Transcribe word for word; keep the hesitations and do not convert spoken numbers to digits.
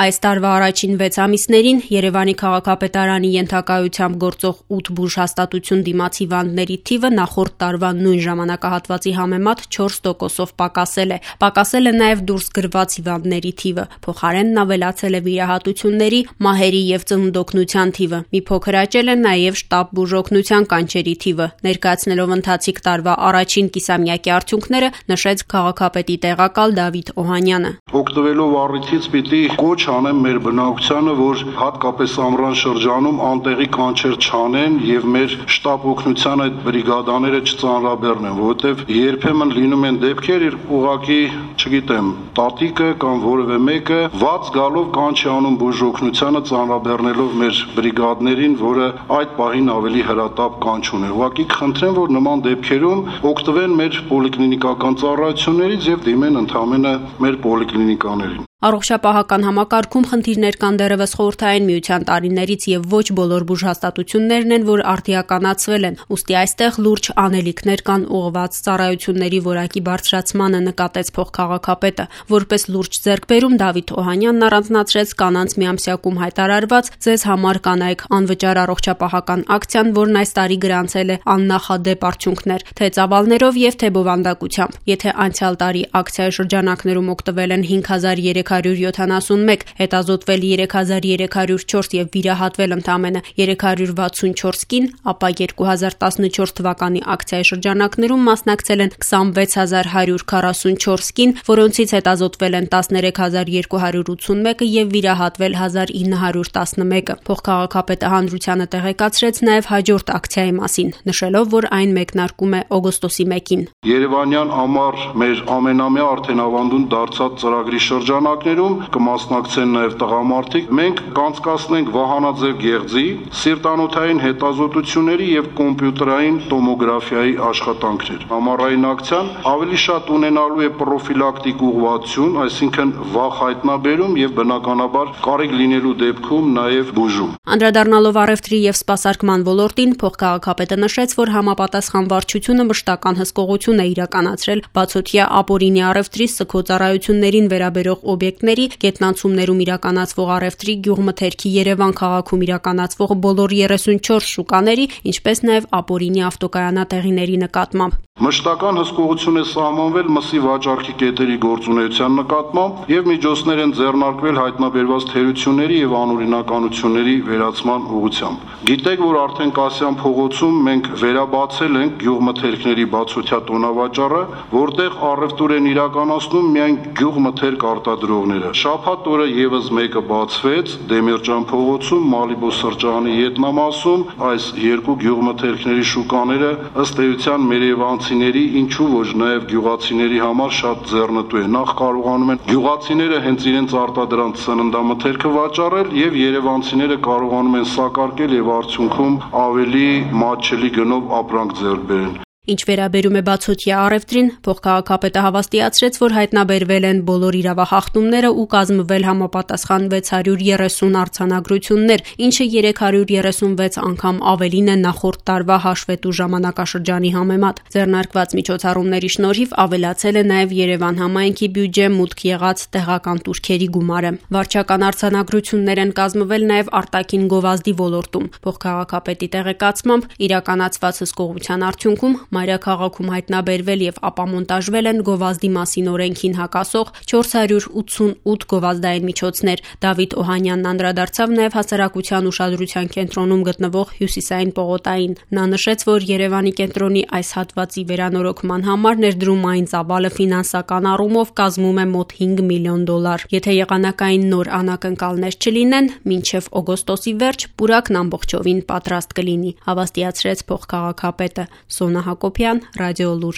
Այս տարվա առաջին վեց ամիսներին Երևանի քաղաքապետարանի ենթակայությամբ գործող ութ բուժհաստատություն դիմաց հիվանդների թիվը նախորդ տարվա նույն ժամանակահատվածի համեմատ չորս տոկոսով պակասել է։ Պակասել է նաև դուրս գրված հիվանդների թիվը, փոխարենն ավելացել է վիրահատությունների, մահերի և ծննդօգնության թիվը։ Մի փոքր աճել է նաև շտապ բուժօգնության կանչերի թիվը։ Ներկայացնելով ընթացիկ տարվա առաջին կիսամյակի արդյունքները, նշեց քաղաքապետի տեղակալ Դավիթ Օհանյանը։ Օգտվելով առիթից պիտի կոչ անեմ մեր բնակչությանը, որ հատկապես ամռան շրջանում անտեղի կանչեր չանեն եւ մեր շտապ օգնության այդ բրիգադաները չծանրաբեռնեն, որովհետեւ երբեմն լինում են դեպքեր, երբ ուղղակի, չգիտեմ, տատիկը կամ որևէ մեկը վաց գալով կանչ է անում բուժօգնությանը, ծանրաբեռնելով մեր բրիգադներին, որը այդ պահին ավելի հրատապ կանչ ունի։ Ուղղակի կխնդրեմ, որ նման դեպքերում օգտվեն մեր պոլիկլինիկական ծառայություններից եւ դիմեն ընդհանրապես մեր պոլիկլինիկաներին։ Առողջապահական համակարգում խնդիրներ կան դեռևս Խորհրդային Միության տարիներից եւ ոչ բոլոր բուժհաստատություններն են, որ արդիականացվել են, ուստի այստեղ լուրջ անելիքներ կան ուղղված ծառայությունների որակի բարձրացմանը, նկատեց փոխքաղաքապետը։ Որպես լուրջ ձեռքբերում Դավիթ Օհանյանն առանձնացրեց կանանց միամսյակում հայտարարված «Ձեզ համար կանայք» անվճար առողջապահական ակցիան, որն այս տարի գրանցել է աննախադեպ արդյունքներ, թե ծավալներով եւ թե բովանդակությամբ։ Եթե անցյալ տարի ակցիայի շրջանակներում օգտվել են հինգ հազար երեք հարյուր յոթանասունմեկ, հետազոտվել երեք հազար երեք հարյուր չորս եւ վիրահատվել ընդամենը երեք հարյուր վաթսունչորս կին, ապա երկու հազար տասնչորս թվականի ակցիայի շրջանակներում մասնակցել են քսանվեց հազար հարյուր քառասունչորս կին, որոնցից հետազոտվել են տասներեք հազար երկու հարյուր ութսունմեկը եւ վիրահատվել հազար ինը հարյուր տասնմեկը։ Փոխքաղաքապետը հանրությանը տեղեկացրեց նաեւ հաջորդ ակցիայի մասին, նշելով, որ այն մեկնարկում է օգոստոսի մեկին։ Երևանյան ամառ մեր ամենամյա արդեն ավանդուն դարձած ծրագրի շրջանակներում կմասնակցեն նաև տղամարդիկ։ Մենք կանցկացնենք վահանաձև գեղձի, սիրտանոթային հետազոտությունների եւ կոմպյուտերային տոմոգրաֆիայի աշխատանքներ։ Ամառային ակցիան ավելի շատ ունենալու է պրոֆիլակտիկ ուղղվածություն, այսինքն վախ հայտնաբերում եւ բնականաբար կարիք լինելու դեպքում նաև բուժում։ Անդրադառնալով առևտրի եւ սպասարկման ոլորտին, փոխքաղաքապետը նշեց, որ համապատասխան վարչությունը մշտական հսկողություն է իրականացրել բացօթյա ապօրինի առևտրի սգո-ծառայություններին վերաբերող օբյեկտների, գետնանցումներում իրականացվող առևտրի, գյուղմթերքի Երևան քաղաքում իրականացվող բոլոր երեսունչորս շուկաների, ինչպես նաև ապօրինի ավտոկայանատեղիների նկատմամբ։ Մշտական հսկողություն է սահմանվել մսի վաճառքի կետերի գործունեության նկատմամբ եւ միջոցներ են ձեռնարկվել հայտնաբերված թերությունների եւ անօրինականությունների վերացման ուղղությամբ։ Գիտեք, որ արդեն Կասյան փողոցում մենք վերաբացել ենք գյուղմթերքների բացօթյա տոնավաճառը, որտեղ առևտուր են իրականացնում միայն գյուղմթերք արտադրողները։ Շաբաթ օրը եւս մեկը բացվեց Դեմիրճան փողոցում, Մալիբո սրճարանի ետնամասում։ Այս երկու գյուղմթերքների շուկաները ըստ էության մերևանցիների, ինչու ոչ նաև գյուղացիների համար շատ ձեռնտու է։ Նախ կարողանում են գյուղացիները հենց իրենց արտադրանք սննդամթերքը վաճառել եւ երևանցիները կարողանում են սակարկել եւ արդյունքում ավելի մատչելի գնով ապրանք ձեռք բերեն։ Ինչ վերաբերում է բացօթյա առևտրին, փոխքաղաքապետը հավաստիացրեց, որ հայտնաբերվել են բոլոր իրավախախտումները ու կազմվել համապատասխան վեց հարյուր երեսուն արձանագրություններ, ինչը երեք հարյուր երեսունվեց անգամ ավելին է նախորդ տարվա հաշվետու ժամանակաշրջանի համեմատ։ Ձեռնարկված միջոցառումների շնորհիվ ավելացել է նաև Երևան համայնքի բյուջե մուտք եղած տեղական տուրքերի գումարը։ Վարչական արձանագրություններ են կազմվել նաև արտաքին գովազդի ոլորտում։ Փոխքաղաքապետի տեղեկացմամբ իրականացված հսկողության արդյունքում Մայրաքաղաքում հայտնաբերվել եւ ապամոնտաժվել են գովազդի մասին օրենքին հակասող չորս հարյուր ութսունութ գովազդային միջոցներ։ Դավիթ Օհանյանն անդրադարձավ նաեւ հասարակության ուշադրության կենտրոնում գտնվող Հյուսիսային պողոտային։ Նա նշեց, որ Երևանի կենտրոնի այս հատվածի վերանորոգման համար ներդրումային ծավալը ֆինանսական առումով կազմում է մոտ հինգ միլիոն դոլար։ Եթե եղանակային նոր անակնկալներ չլինեն, մինչև օգոստոսի վերջ պուրակն ամբողջովին պատրաստ կլինի, հավաստիացրեց փոխքաղաքապետը։ Սոնա Հակոբյան, Ռադիոլուր։